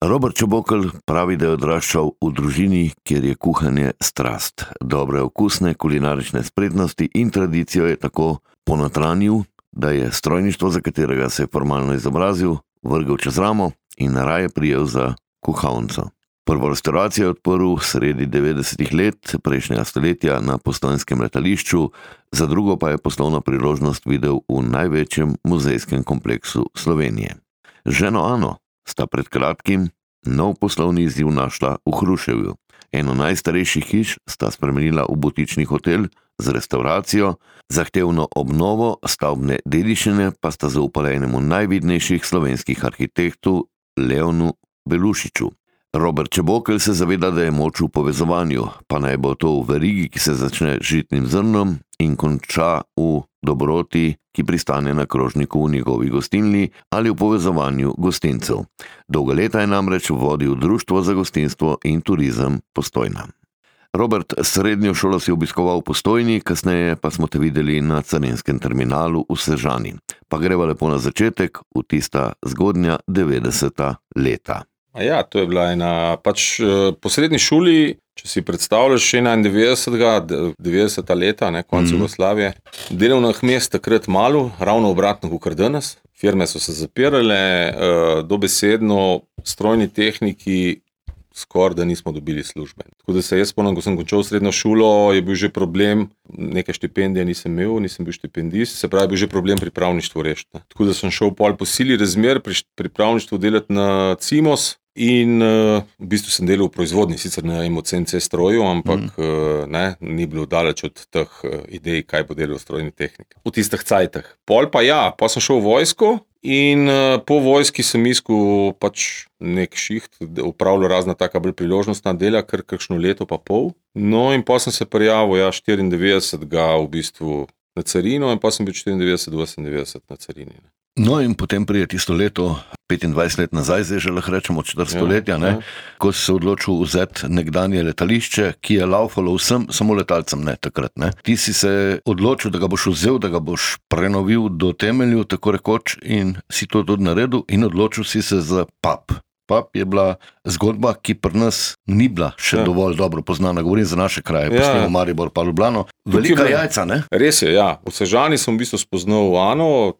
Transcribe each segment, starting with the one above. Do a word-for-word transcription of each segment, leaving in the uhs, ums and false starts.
Robert Čebokl pravi, da je odraščal v družini, kjer je kuhanje strast. Dobre okusne kulinarične spretnosti in tradicijo je tako ponotranil, da je strojništvo, za katerega se je formalno izobrazil, vrgel čez ramo in raje prijel za kuhalnico. Prvo restavracijo je odprl sredi devetdesetih let prejšnjega stoletja na Postojnskem letališču, za drugo pa je poslovno priložnost videl v največjem muzejskem kompleksu Slovenije. Ženo Ano sta pred kratkim nov poslovni izziv našla v Hruševju. Eno najstarejših hiš sta spremenila v butični hotel z restavracijo, zahtevno obnovo stavbne dediščine pa sta zaupala enemu najvidnejših slovenskih arhitektov Leonu Belušiču. Robert Čebokl se zaveda, da je moč v povezovanju, pa naj bo to v verigi, ki se začne z žitnim zrnom in konča v dobroti, ki pristane na krožniku v njegovi gostilni, ali v povezovanju gostincev. Dolga leta je namreč vodil Društvo za gostinstvo in turizem Postojna. Robert, srednjo šolo si obiskoval v Postojni, kasneje pa smo te videli na carinskem terminalu v Sežani. Pa greva lepo na začetek, v tista zgodnja devetdeseta leta. Ja, to je bila ena, pač po srednji šoli, če si predstavljaš enaindevetdesetega, devetdeseta leta, ne, konec mm-hmm. Jugoslavije, delovnih mest takrat malo, ravno obratno kot danes. Firme so se zapirale, dobesedno strojni tehniki skoraj da nismo dobili službe. Tako da se jaz spomnim, ko sem končal srednjo šolo, je bil že problem, neke štipendije nisem imel, nisem bil štipendist, se pravi, bil že problem pripravništvo rešiti. Tako da sem šel pol po sili razmer pri pripravništvu delati na Cimos in uh, v bistvu sem delal v proizvodnji, sicer na M O C N C stroju, ampak mm. uh, ne, ni bilo daleč od teh uh, idej, kaj bo delal strojni tehnik. V tistih cajtah. Pol pa ja, pa sem šel v vojsko. In uh, po vojski sem iskal pač nek šiht, upravljal razna taka bolj priložnostna dela, kar kakšno leto pa pol. No in pa sem se prijavil, ja, štiriindevetdesetega v bistvu na carino in pa sem bil štiriindevetdeset do osemindevetdeset na carini. Ne. No in potem prije tisto leto, petindvajset let nazaj, zdaj že lahko rečemo četrt stoletja, ja, ja. Ko si se odločil vzeti nekdanje letališče, ki je laufalo vsem, samo letalcem ne takrat. Ne. Ti si se odločil, da ga boš vzel, da ga boš prenovil do temelju, tako rekoč, in si to tudi naredil in odločil si se za pub. Pub je bila zgodba, ki pri nas ni bila še ja. dovolj dobro poznana. Govorim za naše kraje, ja. Posnemo Maribor pa Ljubljano. Velika jajca, ne? Res je, ja. V Sežani sem v bistvu spoznal Ano,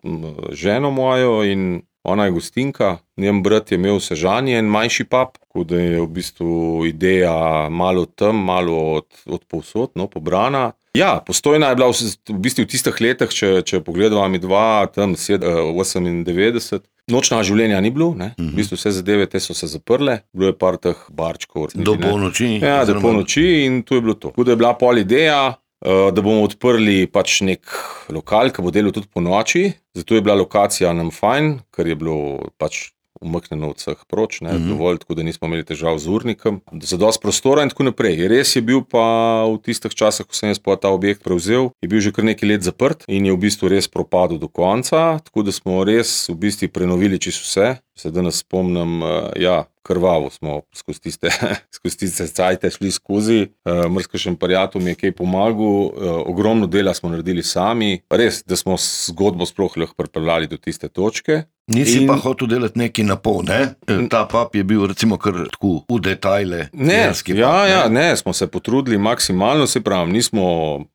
ženo mojo, in ona je gostinka. Njen brat je imel v Sežani en manjši pub, tako da je v bistvu ideja malo tam, malo od, od povsod, no, pobrana. Ja, Postojna je bila v, v bistvu v tistih letih, če, če pogledava mi dva, tam osemindevetdeset. Nočna življenja ni bilo, ne? Uh-huh. V bistvu vse zadeve te so se zaprle, bilo je par teh barčkov. Do polnoči. Ja, do polnoči in to je bilo to. Tako da je bila pol ideja, da bomo odprli pač nek lokal, ki bo delal tudi po noči, zato je bila lokacija nam fajn, ker je bilo pač umaknjeno od vseh proč, ne, mm-hmm. dovolj, tako da nismo imeli težav z urnikom, za dosti prostora in tako naprej. Res je bil pa v tistih časih, ko sem jaz pa ta objekt prevzel, je bil že kar nekaj let zaprt in je v bistvu res propadel do konca, tako da smo res v bistvu prenovili čisto vse. Se danes spomnim, ja, krvavo smo skozi tiste, skozi tiste cajte šli skozi, mrskašen prijatelj mi je kaj pomagal, ogromno dela smo naredili sami, res, da smo zgodbo sploh lahko pripeljali do tiste točke. Nisi in... pa hotel delati nekaj na pol, ne? Ta pub je bil recimo kar tako v detajle. Ne, pub, ja, ne? ja, ne, smo se potrudili maksimalno, se pravim, nismo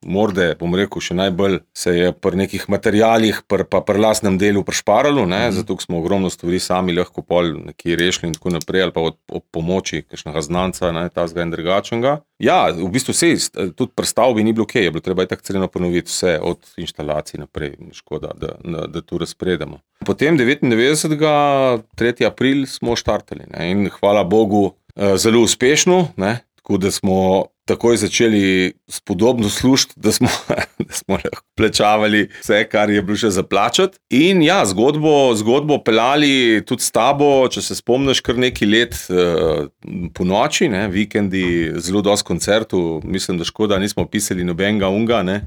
morde, bom rekel, še najbolj se je pri nekih materialih, pri, pa pri lastnem delu prišparalo, ne, mm. zato smo ogromno stvari sami lahko pol nekaj rešili in tako naprej, ali pa od, od pomoči kakšnega znanca, ne, tazga in drugačnega. Ja, v bistvu vse, tudi pri stavbi ni bilo kaj, je bilo treba je tako celeno ponoviti vse od inštalacij naprej, škoda, da, da, da tu razpredemo. Potem devetindevetdesetega tretjega aprila smo štartali, ne, in hvala Bogu zelo uspešno, ne, tako da smo takoj začeli spodobno služiti, da smo, da smo lahko plačavali vse, kar je bilo še zaplačati. In ja, zgodbo, zgodbo pelali tudi s tabo, če se spomniš kar nekaj let uh, po noči, ne, vikendi, zelo dosti koncertov, mislim, da škoda, nismo pisali nobenega unga, ne,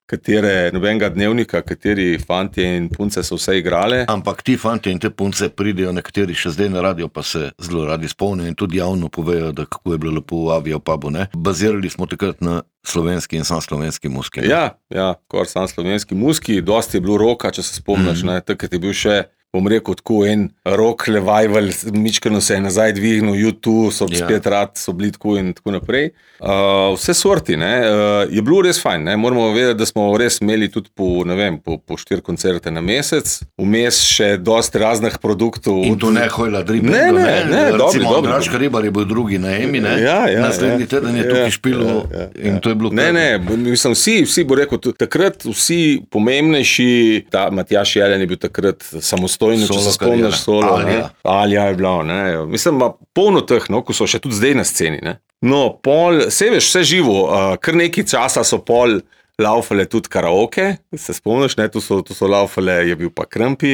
katere, nobenega dnevnika, kateri fantje in punce so vse igrale. Ampak ti fantje in te punce pridejo, nekateri še zdaj na radio, pa se zelo radi spomnijo in tudi javno povejo, da kako je bilo lepo v Avija v pubu, ne? Bazirali smo takrat na slovenski in sam slovenski muski. Ne? Ja, ja, kor sam slovenski muski, dosti je bilo roka, če se spomniš, mm. ne, takrat je bil še bom rekel, tako en rock revival, mičkano se je nazaj dvignil, YouTube so ja. spet rad, so bili tako in tako naprej. Uh, vse sorti, ne, uh, je bilo res fajn, ne, moramo vedeti, da smo res imeli tudi po, ne vem, po, po štiri koncerte na mesec, vmes še dosti raznih produktov. In to ne hojla dribno, ne, ne, ne, ne, dobri, recimo, dobri. Dražka Ribar je bil drugi na Emi, ne, ja, ja, naslednji ja, teden je ja, tukaj špilo ja, ja, in ja. to je bilo. Ne, ne, mislim, vsi, vsi bo rekel, takrat vsi pomembnejši, ta Matjaž Jelen je bil takrat samostojno, če se spomniš solo, Alja. Alja je bila, ne, mislim, polno teh, no, ko so še tudi zdaj na sceni, ne. No, pol, se veš, vse živo, uh, kar nekaj časa so pol laufale tudi karaoke, se spomniš, ne, tu so, tu so laufale, je bil pa Krmpi,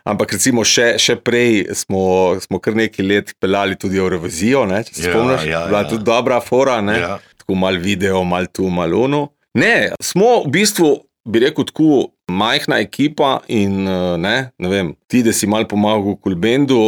ampak recimo še, še prej smo, smo kar nekaj let pelali tudi Eurovizijo, ne, če se ja, spomniš, ja, bila ja. tudi dobra fora, ne, ja. tako mal video, mal tu, mal ono. Ne, smo v bistvu, bi rekel tako, majhna ekipa in ne, ne vem, ti, da si mal pomagal v Kulbendu,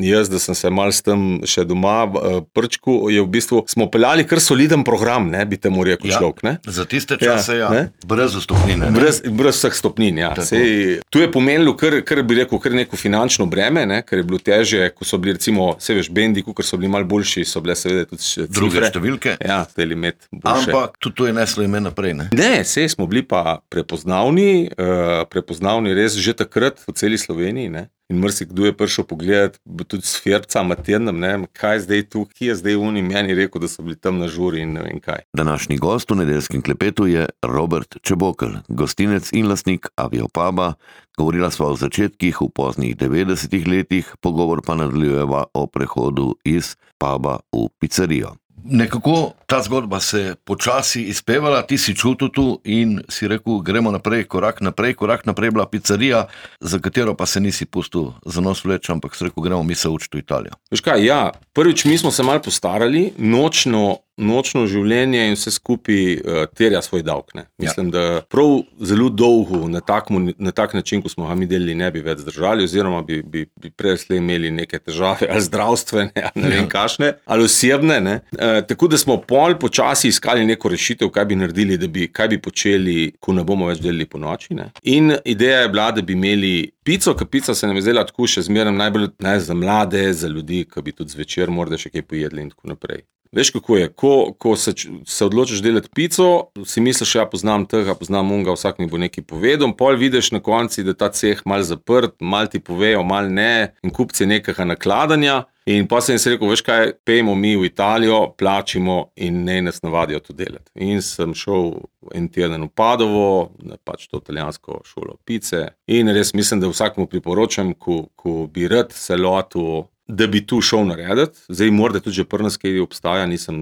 jaz, da sem se mal s tem še doma prčku, je v bistvu, smo peljali kar soliden program, ne, bi temu rekel ja, človek, ne. Za tiste čase, ja, ja brez stopnine. Brez, brez vseh stopnin, ja. Sej, tu je pomenilo kar, kar bi rekel, kar neko finančno breme, ne, ker je bilo težje, ko so bili recimo, se veš, bendi, ker so bili mal boljši, so bile seveda tudi cifre. Druge številke. Ja, hteli imeti boljše. Ampak tudi to je neslo ime naprej, ne. Ne, sej smo bili pa prepoznavni, Uh, prepoznavni res že takrat v celi Sloveniji, ne? In marsikdo je prišel pogledati tudi s Ferbca, Matjernem, ne, kaj je zdaj tu, ki je zdaj unim, meni rekel, da so bili tam na žuri in ne vem kaj. Današnji gost v nedeljskem klepetu je Robert Čebokl, gostinec in lastnik Aviopuba. Govorila sva o začetkih v poznih devetdesetih letih, pogovor pa nadaljujeva o prehodu iz puba v pizzerijo. Nekako ta zgodba se počasi izpevala, ti si čutil tu in si rekel, gremo naprej, korak naprej, korak naprej bila pizzerija, za katero pa se nisi pustil za nos vleč, ampak si rekel, gremo mi se učiti v Italijo. Veš kaj, ja, prvič mi smo se malo postarali, nočno, nočno življenje in vse skupaj uh, terja svoj davek, ne. Mislim, ja. da prav zelo dolgo na tak, na tak način, ko smo ga mi delili, ne bi več zdržali, oziroma bi, bi, bi prej imeli neke težave, ali zdravstvene, ali ne vem kašne, ali osebne, ne. Uh, tako da smo pol počasi iskali neko rešitev, kaj bi naredili, da bi, kaj bi počeli, ko ne bomo več delili po noči, ne. In ideja je bila, da bi imeli pico, ker pica se nam je zdela tako še zmeraj najbolj, ne, za mlade, za ljudi, ki bi tudi zvečer morda še kaj pojedli in tako naprej. Veš, kako je, ko, ko se, se odločiš delati pico, si misliš, ja, poznam tega, poznam unga, vsak mi bo nekaj povedal, pol vidiš na konci, da ta ceh mal zaprt, mal ti povejo, mal ne, in kupci nekega nakladanja, in pa sem si rekel, veš kaj, pejmo mi v Italijo, plačimo in ne nas navadijo to delati. In sem šel en teden v Padovo, pač to italijansko šolo pice, in res mislim, da vsakmu priporočam, ko, ko bi rad se lotil, da bi tu šel narediti. Zdaj morda tudi že pri nas kaj obstaja, nisem,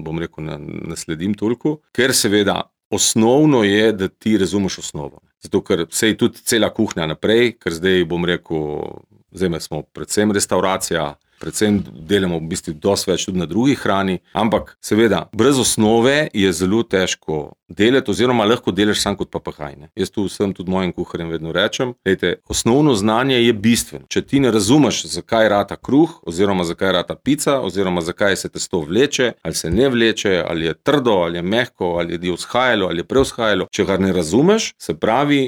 bom rekel, ne, ne sledim toliko, ker seveda osnovno je, da ti razumeš osnovo. Zato, ker se je tudi cela kuhnja naprej, ker zdaj bom rekel, zdaj smo predvsem restauracija, predvsem delamo v bistvu dosti več tudi na drugi hrani, ampak seveda, brez osnove je zelo težko delati, oziroma lahko delaš sam kot papagaj, ne. Jaz tu vsem tudi mojim kuharjem vedno rečem, lejte, osnovno znanje je bistveno. Če ti ne razumeš, zakaj rata kruh, oziroma zakaj rata pica, oziroma zakaj se testo vleče, ali se ne vleče, ali je trdo, ali je mehko, ali je vzhajalo, ali je prevzhajalo, če ga ne razumeš, se pravi,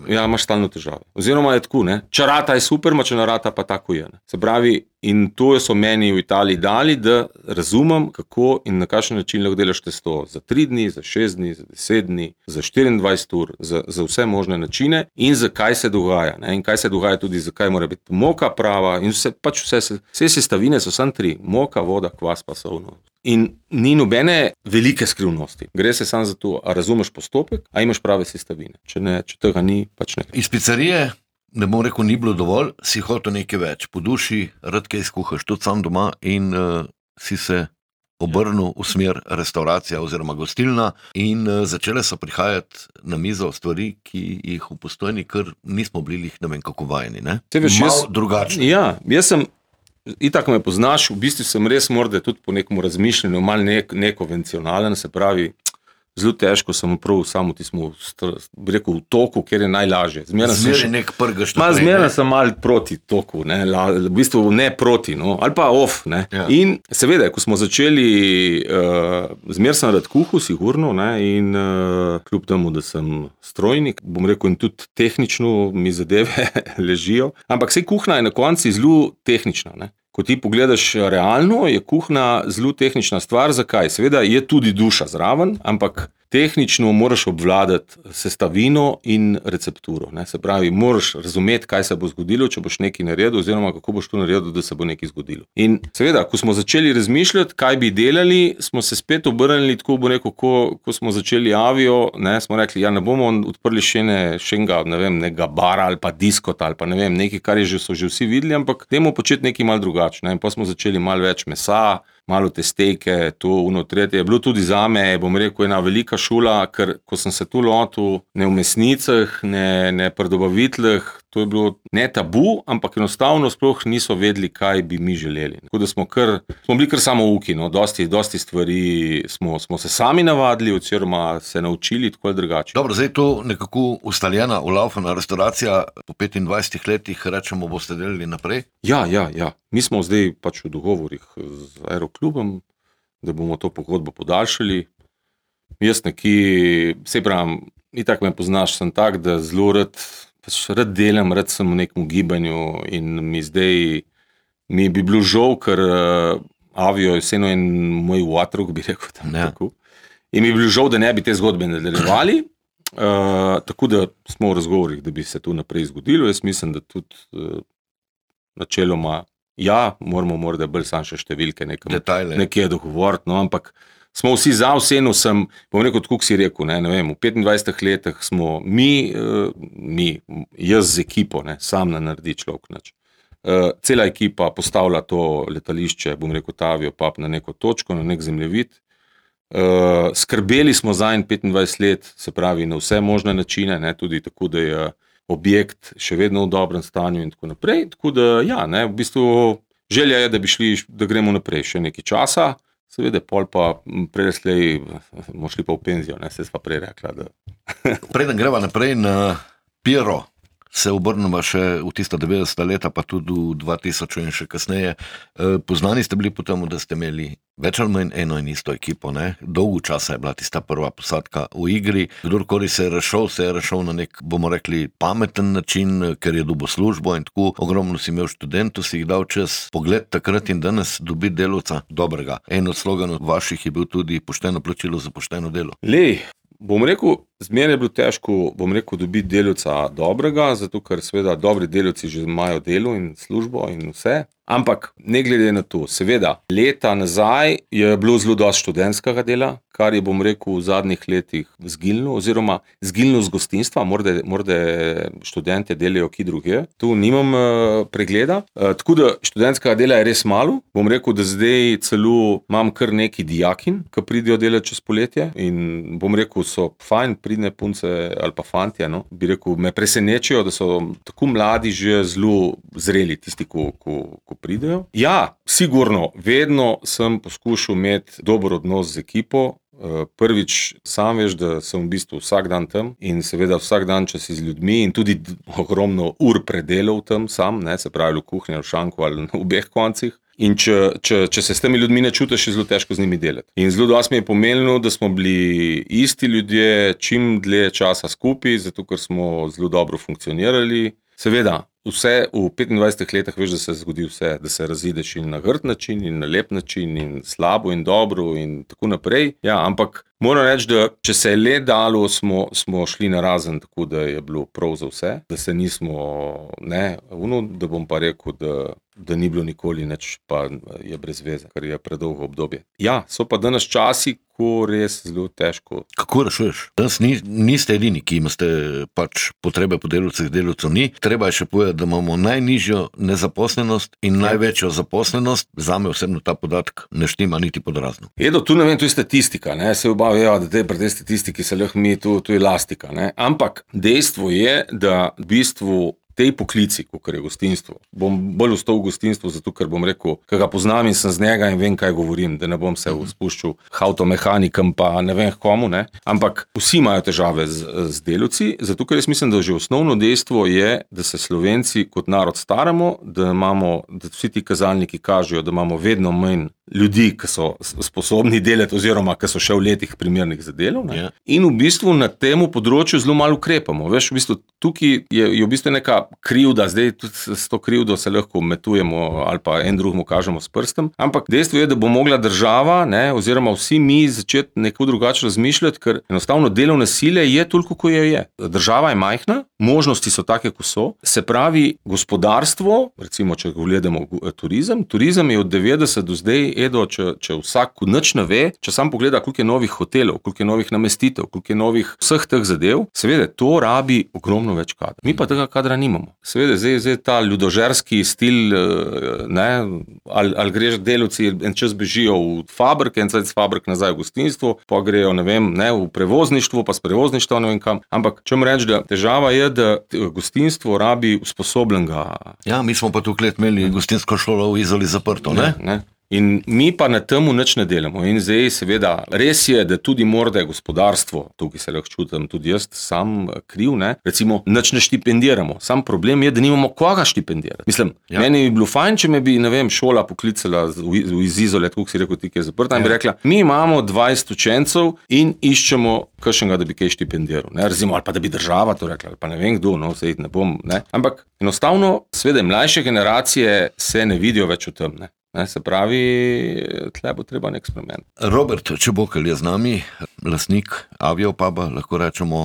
ja, imaš stalno težave. Oziroma je tako, ne, če rata je super, ma če ne rata pa tako je, ne. Se pravi, in to so meni v Italiji dali, da razumem, kako in na kakšen način lahko delaš testo za tri dni, za šest dni, za deset dni, za štiriindvajset ur, za, za vse možne načine in zakaj se dogaja, ne? In kaj se dogaja tudi, zakaj mora biti moka prava in vse, pač vse, vse sestavine so samo tri, moka, voda, kvas pa solno. In ni nobene velike skrivnosti. Gre se samo za to, a razumeš postopek, a imaš prave sestavine. Če ne, če tega ni, pač ne. Iz pizzerije, ne bom rekel, ni bilo dovolj, si hotel nekaj več. Po duši, rad kaj skuhaš, tudi sam doma in uh, si se obrnil v smer restauracija oziroma gostilna in uh, začele so prihajati na mizo stvari, ki jih v Postojni kar nismo bili, ne vem kako vajeni, ne? Veš, malo jaz, drugačno. Ja, jaz sem, itak me poznaš, v bistvu sem res morda tudi po nekom razmišljanju, malo ne, nekonvencionalen, se pravi, zelo težko sem prav samo tismo, bi rekel, v toku, kjer je najlažje. Zmeraj sem, še, nek prgaš ma, zmeraj sem mal proti toku, ne, la, v bistvu ne proti, no, ali pa off. Ne. Ja. In seveda, ko smo začeli, uh, zmeraj sem rad kuhal, sigurno, ne, in uh, kljub temu, da sem strojnik, bom rekel, in tudi tehnično mi zadeve ležijo, ampak sej kuhna je na konci zelo tehnična, ne. Ko ti pogledaš realno, je kuhna zelo tehnična stvar. Zakaj? Seveda je tudi duša zraven, ampak tehnično moraš obvladati sestavino in recepturo. Ne? Se pravi, moraš razumeti, kaj se bo zgodilo, če boš nekaj naredil, oziroma kako boš to naredil, da se bo nekaj zgodilo. In seveda, ko smo začeli razmišljati, kaj bi delali, smo se spet obrnili, tako bo rekel, ko, ko smo začeli Avio, ne, smo rekli, ja, ne bomo odprli še ne, še enega, ne vem, nekega bara ali pa diskota ali pa ne vem, nekaj, kar je že, so že vsi videli, ampak dajmo početi nekaj malo drugače. Ne? In pa smo začeli malo več mesa, malo te stejke, to, uno, tretje. Je bilo tudi zame, bom rekel, ena velika šula, ker ko sem se tu lotil, ne v mesnicah, ne, ne pri dobaviteljih, to je bilo ne tabu, ampak enostavno sploh niso vedeli, kaj bi mi želeli. Tako da smo, kar, smo bili kar samouki, no, dosti, dosti stvari smo, smo se sami navadili, oziroma se naučili tako ali drugače. Dobro, zdaj to nekako ustaljena, ulaufana restauracija, po petindvajsetih letih rečemo, boste delali naprej? Ja, ja, ja. Mi smo zdaj pač v dogovorih z Aeroklubom, da bomo to pogodbo podaljšali. Jaz neki, sej pravim, itak me poznaš, sem tak, da zelo rad, pač rad delam, rad sem v nekem gibanju in mi zdaj, mi bi bilo žal, ker uh, Avio je vseeno en moj vatruk, bi rekel tam ja. Tako. In mi bi bilo žal, da ne bi te zgodbe nadaljevali, uh, tako da smo v razgovorih, da bi se to naprej zgodilo. Jaz mislim, da tudi uh, načeloma ja, moramo morda bolj sam še številke nekam, nekje dogovoriti, no, ampak smo vsi za, vseeno sem, bom rekel, tako si rekel, ne, ne vem, v petindvajsetih letih smo mi, uh, mi, jaz z ekipo, ne, sam ne naredi človek nič. Uh, cela ekipa postavlja to letališče, bom rekel, Avio Pub na neko točko, na nek zemljevid. Uh, skrbeli smo za en petindvajset let, se pravi, na vse možne načine, ne, tudi tako, da je objekt še vedno v dobrem stanju in tako naprej, tako da ja, ne, v bistvu želja je, da bi šli, da gremo naprej še nekaj časa, seveda pol pa preleslej bomo šli pa v penzijo, ne, se sva prej rekla, da... Preden greva naprej na Piero, se obrnemo še v tista devetdeseta leta, pa tudi v dva tisoč in še kasneje. Poznani ste bili po tem, da ste imeli več ali manj eno in isto ekipo, ne? Dolgo časa je bila tista prva posadka v igri. Kdorkoli se je rešel, se je rešel na nek, bomo rekli, pameten način, ker je dobil službo in tako. Ogromno si imel študentov, si jih dal čez pogled takrat in danes dobiti delavca dobrega. En od sloganov vaših je bil tudi pošteno plačilo za pošteno delo. Lej, bom rekel, zmeraj je bilo težko, bom rekel, dobiti delavca dobrega, zato ker seveda dobri delavci že imajo delo in službo in vse. Ampak ne glede na to, seveda, leta nazaj je bilo zelo dosti študentskega dela, kar je, bom rekel, v zadnjih letih zginilo, oziroma zginilo z gostinstva, morda, morda študente delajo ki druge. Tu nimam uh, pregleda, uh, tako da študentskega dela je res malo. Bom rekel, da zdaj celo imam kar neki dijakin, ki pridejo delati čez poletje in bom rekel, so fajn, pridne punce ali pa fantje, no, bi rekel, me presenečijo, da so tako mladi že zelo zreli, tisti, ko, ko, ko pridejo. Ja, sigurno, vedno sem poskušal imeti dober odnos z ekipo. Prvič, sam veš, da sem v bistvu vsak dan tam in seveda vsak dan, če si z ljudmi in tudi ogromno ur predelal tam sam, ne, se pravi v kuhinji, v šanku ali na obeh koncih. In če, če, če se s temi ljudmi ne čutiš, je zelo težko z njimi delati. In zelo dosti mi je pomenilo, da smo bili isti ljudje čim dlje časa skupaj, zato ker smo zelo dobro funkcionirali. Seveda, vse v petindvajsetih letih veš, da se zgodi vse, da se razideš in na grd način, in na lep način, in slabo in dobro in tako naprej. Ja, ampak moram reči, da če se je le dalo, smo, smo šli na razen, tako da je bilo prav za vse, da se nismo, ne, uno, da bom pa rekel, da, da ni bilo nikoli nič, pa je brez veze, ker je predolgo obdobje. Ja, so pa danes časi, ko res zelo težko. Kako rešuješ? Danes ni, niste edini, ki imate pač potrebe po delavcih, delavcev ni. Treba je še povedati, da imamo najnižjo nezaposlenost in ja. Največjo zaposlenost. Zame osebno ta podatek ne štima niti pod razno. Edo, tu ne vem, tu je statistika, ne, se obavijo, da te pri tej statistiki se lahko mi, tu, tu je lastika, ne, ampak dejstvo je, da v bistvu tej poklici, kot je gostinstvo, bom bolj ostal v gostinstvu, zato ker bom rekel, ker ga poznam in sem z njega in vem, kaj govorim, da ne bom se spuščal avtomehanikom pa ne vem komu, ne. Ampak vsi imajo težave z, z delavci, zato ker jaz mislim, da že osnovno dejstvo je, da se Slovenci kot narod staramo, da imamo, da vsi ti kazalniki kažejo, da imamo vedno manj ljudi, ki so sposobni delati oziroma, ki so še v letih primernih za delo. Ne? Yeah. In v bistvu na temu področju zelo malo ukrepamo. Veš, v bistvu tukaj je, je v bistvu neka krivda, zdaj tudi s to krivdo se lahko metujemo ali pa en drugemu kažemo s prstem, ampak dejstvo je, da bo mogla država, ne, oziroma vsi mi začeti neko drugače razmišljati, ker enostavno delovne sile je toliko, ko je je. Država je majhna, možnosti so take, ko so, se pravi gospodarstvo, recimo, če gledamo turizem, turizem je od devetdeset do zdaj, Edo, če, če vsak nič ne ve, če sam pogleda, koliko je novih hotelov, koliko je novih namestitev, koliko je novih vseh teh zadev, seveda to rabi ogromno več kadra. Mi pa tega kadra nimamo. Seveda, zdaj, zdaj ta ljudožerski stil, ne, ali, ali greš delavci en čas bežijo v fabrike, en čas fabrik nazaj v gostinstvo, pa grejo, ne vem, ne, v prevozništvo, pa s prevozništva, ne vem kam. Ampak, če mi reči, da težava je, da gostinstvo rabi usposobljenega. Ja, mi smo pa tukaj imeli gostinsko šolo v Izoli zaprto, ne? ne, ne. In mi pa na temu nič ne delamo. In zdaj seveda, res je, da tudi morda gospodarstvo, tukaj se lahko čutim tudi jaz sam kriv, ne, recimo nič ne štipendiramo. Sam problem je, da nimamo koga štipendirati. Mislim, ja. Meni bi bilo fajn, če me bi, ne vem, šola poklicala iz Izole, tako si rekel, ti, ki je zaprta, in bi rekla, mi imamo dvajset učencev in iščemo kakšnega, da bi kaj štipendiral. Ne, recimo, ali pa da bi država to rekla, ali pa ne vem kdo, no, sej ne bom, ne. Ampak enostavno, seveda, mlajše generacije se ne vidijo več v tem, ne. Ne, se pravi, tle bo treba nek eksperiment. Robert Čebokl je z nami, lastnik Aviopuba, lahko rečemo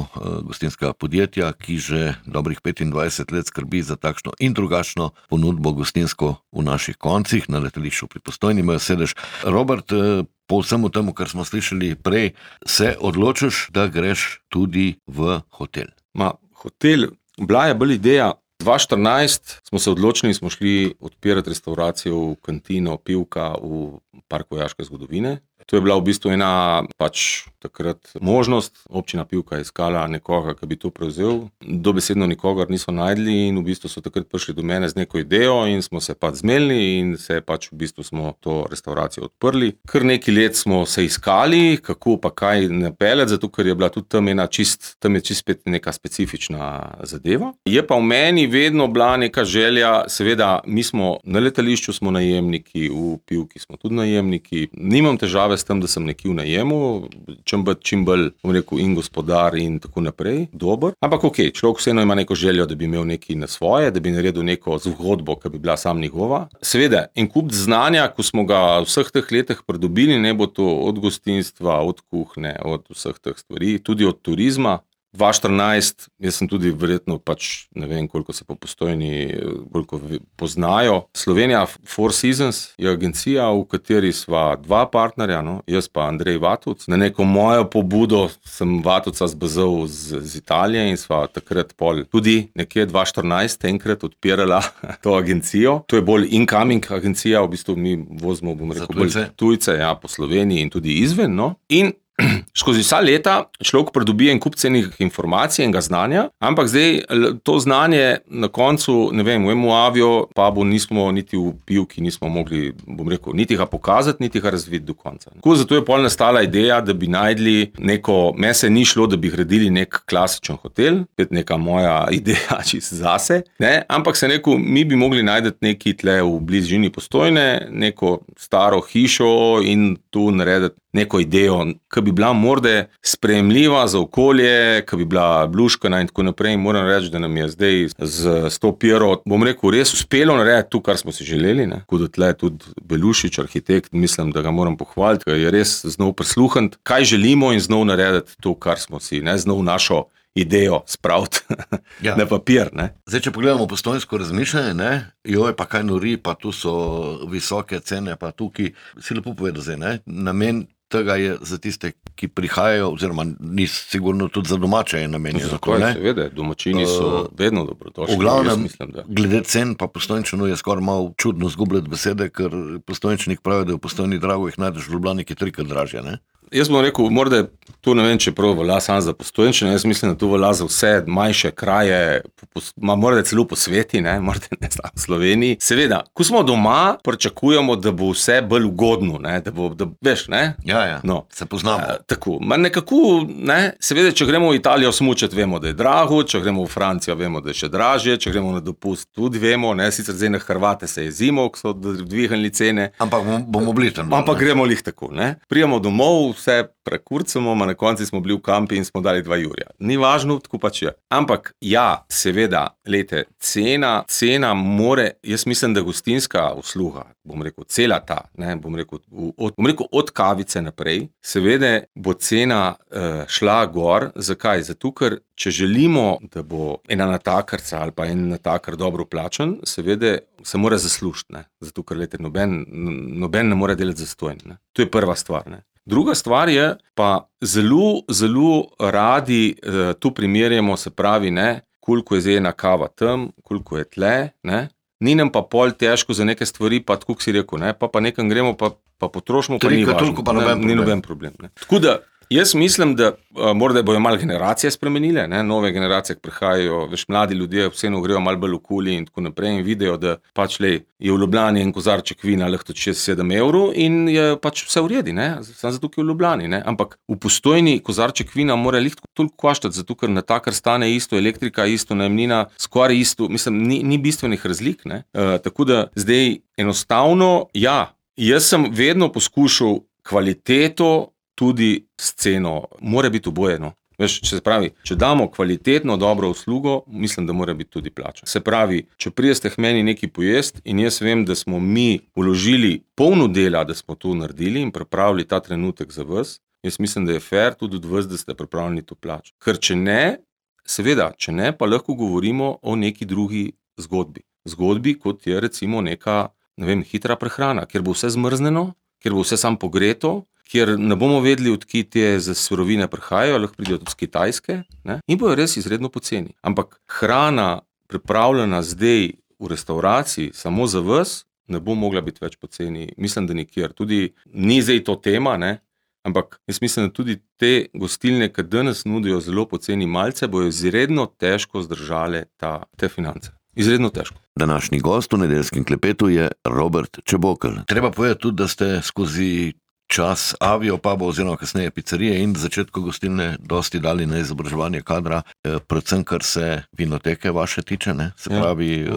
gostinskega podjetja, ki že dobrih petindvajset let skrbi za takšno in drugačno ponudbo gostinsko v naših koncih, na letališču pri Postojni imajo sedež. Robert, po vsemu temu, kar smo slišali prej, se odločiš, da greš tudi v hotel. Ma, hotel, bila je bolj ideja. dva tisoč štirinajst smo se odločili in smo šli odpirati restauracijo v kantino Pivka v Parku vojaške zgodovine. To je bila v bistvu ena pač takrat možnost. Občina Pivka je iskala nekoga, ki bi to prevzel. Dobesedno nikogar niso najdli in v bistvu so takrat prišli do mene z neko idejo in smo se pač zmenili in se pač v bistvu smo to restauracijo odprli. Kar nekaj let smo se iskali, kako pa kaj napeljati, zato ker je bila tudi tam ena čist, tam je čist spet neka specifična zadeva. Je pa v meni vedno bila neka želja, seveda mi smo na letališču smo najemniki, v Pivki smo tudi najemniki. Nimam težave s tem, da sem nekje v najemu, čim bolj, čim bolj, bom rekel, in gospodar in tako naprej, dober. Ampak ok, človek vseeno ima neko željo, da bi imel nekaj na svoje, da bi naredil neko zgodbo, ki bi bila sam njegova. Seveda, en kup znanja, ko smo ga v vseh teh letih pridobili, ne bo to od gostinstva, od kuhne, od vseh teh stvari, tudi od turizma. dva tisoč štirinajst, jaz sem tudi verjetno pač, ne vem, koliko se po Postojni koliko poznajo. Slovenija Four Seasons je agencija, v kateri sva dva partnerja, no, jaz pa Andrej Vatovc. Na neko mojo pobudo sem Vatovca zbezel z, z Italije in sva takrat pol tudi nekje dva tisoč štirinajst enkrat odpirala to agencijo. To je bolj incoming agencija, v bistvu mi vozimo, bom rekel, bolj tujce, ja, po Sloveniji in tudi izven, no. In skozi vsa leta človek pridobi en kup cenih informacij in ga znanja, ampak zdaj to znanje na koncu, ne vem, v emu Aviopubu nismo niti v Pivki nismo mogli, bom rekel, niti ga pokazati, niti ga razviti do konca. Tako zato je pol nastala ideja, da bi najdli neko, me se ni šlo, da bi gradili nek klasičen hotel, spet neka moja ideja čisto zase, ne, ampak se rekel, mi bi mogli najti neki tle v bližini Postojne, neko staro hišo in tu narediti neko idejo, ki bi bila morda sprejemljiva za okolje, ki bi bila bluškana in tako naprej. In moram reči, da nam je zdaj z, z to piro, bom rekel, res uspelo narediti to, kar smo si želeli. Ne. Tako da tle tudi Belušič, arhitekt, mislim, da ga moram pohvaliti, ker je res znov prisluhniti, kaj želimo in znov narediti to, kar smo si, ne, znov našo idejo spraviti ja. na papir. Ne. Zdaj, če pogledamo postojnsko razmišljanje, ne, joj, pa kaj nori, pa tu so visoke cene, pa tukaj, si lepo povedal zdaj, ne, namen tega je za tiste, ki prihajajo, oziroma ni sigurno tudi za domače je namenjeno. Zakaj, seveda, domačini so uh, vedno dobrodošli. V glavnem, mislim, da. Glede cen, pa Postojnčanu je skoraj malo čudno zgubljati besede, ker Postojnčanik pravi, da je v Postojni drago, jih najdeš v Ljubljani, ki je trikrat dražje, ne? Jaz bom rekel, morda to ne vem, če prav velja sam za Postojnčane, jaz mislim, da to velja za vse manjše kraje, morda celo po sveti, ne, morda ne znam, v Sloveniji. Seveda, ko smo doma, pričakujemo, da bo vse bolj ugodno, ne, da bo, da, veš, ne? Ja, ja, no. Se poznamo. A, tako, ma nekako, ne, seveda, če gremo v Italijo smučati, vemo, da je drago, če gremo v Francijo, vemo, da je še dražje, če gremo na dopust, tudi vemo, ne, sicer zdaj na Hrvate se je zimo, ko so dvignili cene. Ampak bomo bili tam. Ampak gremo lih tako, ne. Prijemo domov, vse prekurcamo, ma na konci smo bili v kampi in smo dali dva jurja. Ni važno, tako pač je. Ampak ja, seveda, lejte, cena, cena more, jaz mislim, da gostinska usluga, bom rekel, cela ta, ne, bom rekel, od, bom rekel, od kavice naprej, seveda bo cena uh, šla gor. Zakaj? Zato, ker če želimo, da bo ena natakarca ali pa en natakar dobro plačan, seveda se mora zaslužiti, ne. Zato, ker lejte, noben, noben ne more delati zastojn, ne. To je prva stvar, ne. Druga stvar je, pa zelo, zelo radi uh, tu primerjamo, se pravi, ne, koliko je zdaj ena kava tam, koliko je tle, ne, ni nam pa pol težko za neke stvari, pa tako si rekel, ne, pa pa nekam gremo, pa, pa potrošimo, pa ni važno, pa noben ne, ni noben problem. Ne. Tako da, jaz mislim, da uh, morda bojo malo generacije spremenile, ne, nove generacije, ki prihajajo, veš, mladi ljudje vseeno grejo malo bolj v kuli in tako naprej in vidijo, da pač lej, je v Ljubljani en kozarček vina lahko tudi šest sedem evrov in je pač vse v redu, ne, samo zato, ki je v Ljubljani, ne, ampak v Postojni kozarček vina mora lih toliko koštati, zato, ker natakar stane isto, elektrika isto, najemnina skoraj isto, mislim, ni, ni bistvenih razlik, ne, uh, tako da zdaj enostavno, ja, jaz sem vedno poskušal kvaliteto tudi s ceno, mora biti obojeno. Veš, če se pravi, če damo kvalitetno, dobro uslugo, mislim, da mora biti tudi plača. Se pravi, če prijeste k meni nekaj pojest in jaz vem, da smo mi vložili polno dela, da smo to naredili in pripravili ta trenutek za vas, jaz mislim, da je fair tudi od vas, da ste pripravljeni to plačati. Ker če ne, seveda, če ne, pa lahko govorimo o neki drugi zgodbi. Zgodbi, kot je recimo neka, ne vem, hitra prehrana, kjer bo vse zmrzneno, kjer bo vse sam pogreto, kjer ne bomo vedeli, odkje te za surovine prihajajo, lahko pridejo tudi z Kitajske, ne, in bojo res izredno poceni. Ampak hrana pripravljena zdaj v restavraciji samo za vas, ne bo mogla biti več poceni. Mislim, da nikjer. Tudi ni zdaj to tema, ne, ampak jaz mislim, da tudi te gostilne, ki danes nudijo zelo poceni malce, bojo izredno težko zdržale ta, te finance. Izredno težko. Današnji gost v Nedeljskem klepetu je Robert Čebokelj. Treba povedati tudi, da ste skozi čas avio puba oziroma kasneje pizzerije in začetku gostilne dosti dali na izobraževanje kadra, predvsem kar se vinoteke vaše tiče, ne? Se pravi, ja.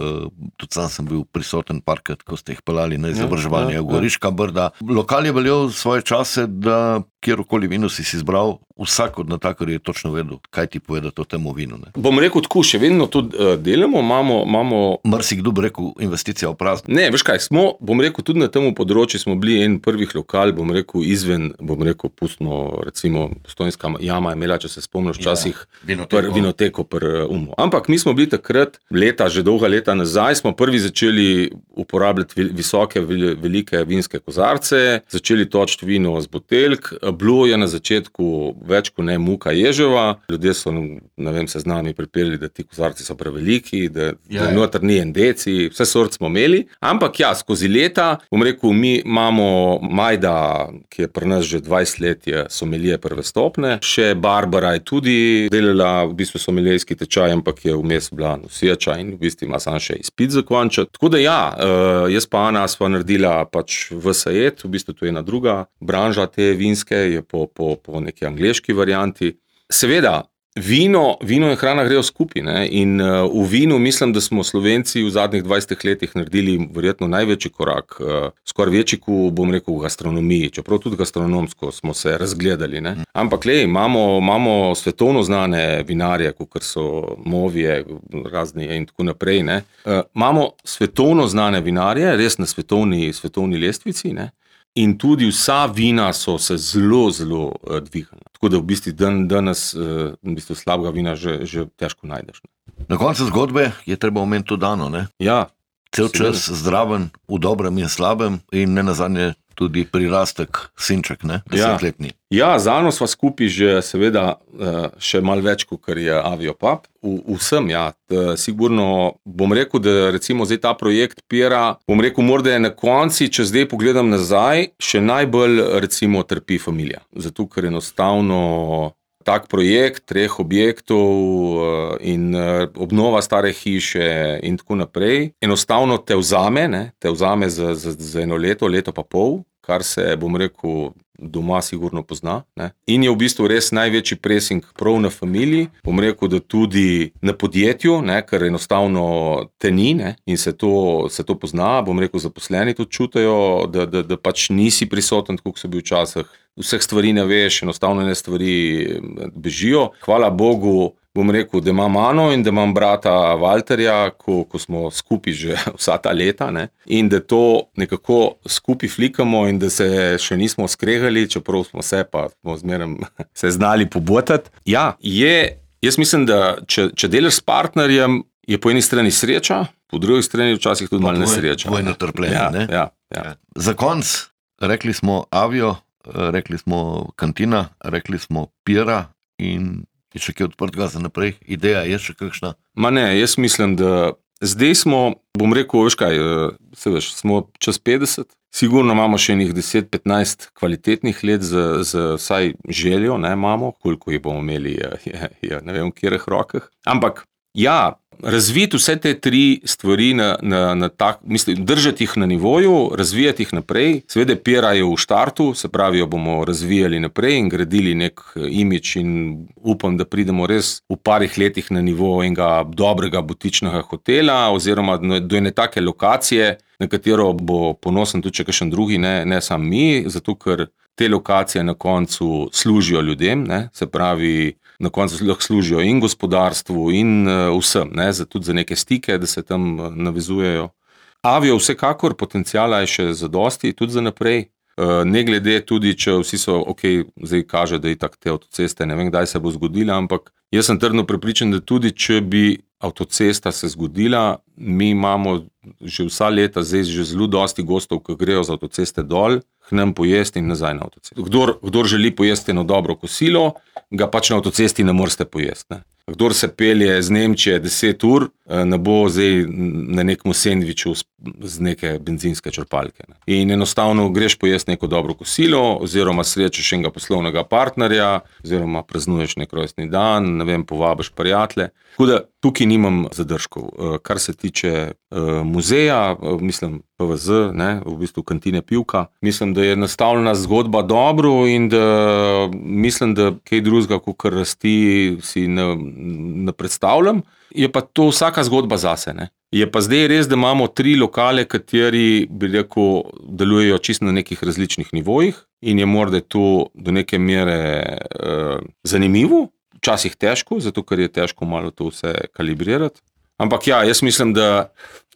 Tudi sam sem bil prisoten parkrat, ko ste jih pelali na izobraževanje, ja, ja, v Goriška Brda. Lokal je veljal svoje čase, da kjerokoli vino si si izbral, vsak od natakarjev je točno vedel, kaj ti povedati o temu vinu. Ne? Bom rekel tako, še vedno to uh, delamo, imamo... imamo... Marsikdo bi rekel, investicija v prazno. Ne, veš kaj, smo, bom rekel, tudi na temu področju smo bili en prvih lokal, bom rekel, izven, bom rekel, pustno, recimo, Postojnska jama je imela, če se spomniš, včasih ja, vinoteko. Pr, vinoteko pr umu. Ampak mi smo bili takrat, leta, že dolga leta nazaj, smo prvi začeli uporabljati visoke, velike vinske kozarce, začeli točiti vino z buteljk. Bilo je na začetku več kot ne muka ježeva, ljudje so, ne vem, se z nami pripeli, da ti kozarci so preveliki, da, ja, da noter ni en deci, vse sort smo imeli, ampak ja, skozi leta, bom rekel, mi imamo Majda, ki je pri nas že dvajset let, je somelije prve stopne, še Barbara je tudi delala v bistvu somelijski tečaj, ampak je vmes bila noseča in v bistvu ima samo še izpit zakončati. Tako da ja, jaz pa Ana sva naredila pač V S E T, v bistvu to je ena druga branža te vinske, je po, po, po neki angleški varianti. Seveda, vino, vino in hrana grejo skupaj, ne? In uh, v vinu mislim, da smo Slovenci v zadnjih dvajsetih letih naredili verjetno največji korak, uh, skoraj večji, kot bom rekel, v gastronomiji, čeprav tudi gastronomsko smo se razgledali, ne? Ampak lej, imamo, imamo svetovno znane vinarje, kot so Movije, razni in tako naprej, ne? Uh, imamo svetovno znane vinarje, res na svetovni, svetovni lestvici, ne? In tudi vsa vina so se zelo, zelo uh, dvignila. Tako da v bistvu dan, danes uh, v bistvu slabega vina že, že težko najdeš. Ne? Na koncu zgodbe je treba omeniti to Dano, ne? Ja. Cel čas zdraven, v dobrem in slabem in ne nazadnje tudi prirastek sinček, ne, desetletni. Ja, ja, z Ano sva skupaj že seveda še malo več, kot je Aviopub. V, vsem, ja. Sigurno bom rekel, da recimo zdaj ta projekt Pira, bom rekel, morda je na konci, če zdaj pogledam nazaj, še najbolj recimo trpi familija. Zato, ker enostavno tak projekt treh objektov in obnova stare hiše in tako naprej, enostavno te vzame, ne, te vzame za, za, za eno leto, leto pa pol, kar se, bom rekel, doma sigurno pozna, ne. In je v bistvu res največji pressing prav na familiji, bom rekel, da tudi na podjetju, ne, ker enostavno te ni, ne, in se to, se to pozna, bom rekel, zaposleni tudi čutijo, da, da, da pač nisi prisoten, tako kot so bil včasih. Vseh stvari ne veš, enostavno ne stvari bežijo. Hvala Bogu, bom rekel, da imam Ano in da imam brata Valterja, ko, ko smo skupaj že vsa ta leta, ne? In da to nekako skupaj flikamo in da se še nismo skregali, čeprav smo se pa smo zmeraj se znali pobotati. Ja, je, jaz mislim, da če, če delaš s partnerjem, je po eni strani sreča, po drugi strani včasih tudi malo nesreča. Dvojno trpljenje, ja, ne? Ja, ja. Za konc, rekli smo Avio, rekli smo Kantina, rekli smo Pira in je še kaj odprtega za naprej? Ideja je še kakšna? Ma ne, jaz mislim, da zdaj smo, bom rekel, veš kaj, se veš, smo čez petdeset, sigurno imamo še enih deset petnajst kvalitetnih let z, z vsaj željo, ne, imamo, koliko jih bomo imeli, je, je, ne vem, v katerih rokah, ampak ja, razviti vse te tri stvari na, na, na tak, mislim, držati jih na nivoju, razvijati jih naprej, seveda Pira je v štartu, se pravi, jo bomo razvijali naprej in gradili nek imidž in upam, da pridemo res v parih letih na nivo enega dobrega butičnega hotela oziroma do ene take lokacije, na katero bo ponosen tudi še kakšen drugi, ne, ne sam mi, zato ker te lokacije na koncu služijo ljudem, ne, se pravi, na koncu lahko služijo in gospodarstvu in uh, vsem, ne, za, tudi za neke stike, da se tam uh, navezujejo. Avio vsekakor, potencijala je še zadosti, tudi za naprej. Uh, ne glede tudi, če vsi so, ok, zdaj kaže, da je tak te avtoceste, ne vem, kdaj se bo zgodila, ampak jaz sem trdno prepričan, da tudi, če bi avtocesta se zgodila, mi imamo že vsa leta zdaj že zelo dosti gostov, ki grejo z avtoceste dol, k nam pojesti in nazaj na avtocesto. Kdor, kdor želi pojesti eno dobro kosilo, ga pač na avtocesti ne morete pojesti, ne. Kdor se pelje z Nemčije deset ur, ne bo zdaj na nekem sendviču z neke benzinske črpalke, ne. In enostavno greš pojesti neko dobro kosilo, oziroma srečaš enega poslovnega partnerja, oziroma praznuješ nek rojstni dan, ne vem, povabiš prijatelje. Tako da tukaj nimam zadržkov. Kar se tiče muzeja, mislim P V Z, ne, v bistvu Kantine Pivka, mislim, da je nastavljena zgodba dobro in da mislim, da kaj drugega, kakor rasti, si ne, ne predstavljam. Je pa to vsaka zgodba zase, ne. Je pa zdaj res, da imamo tri lokale, kateri, bi rekel, delujejo čisto na nekih različnih nivojih in je morda to do neke mere uh, zanimivo, včasih težko, zato ker je težko malo to vse kalibrirati. Ampak ja, jaz mislim, da,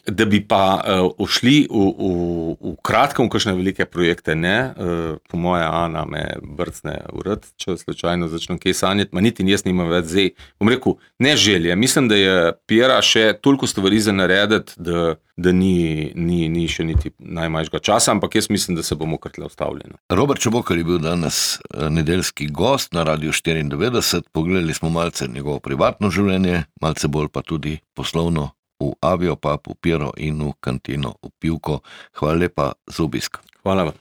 da bi pa uh, ušli v, v, v kratkem v kakšne velike projekte, ne. Uh, po moje Ana me brcne v rad, če slučajno začnem kaj sanjati, ma niti jaz nimam več zdaj. Bom rekel, ne želje. Mislim, da je Pira še toliko stvari za narediti, da, da ni, ni, ni še niti najmanjšega časa, ampak jaz mislim, da se bomo kar tle ustavljeno. Robert Čebokar je bil danes nedeljski gost na Radiu štiriindevetdeset. Pogledali smo malce njegovo privatno življenje, malce bolj pa tudi poslovno v Aviopub, v Piro in v Kantino v Pivko. Hvala lepa za obisk. Hvala vam.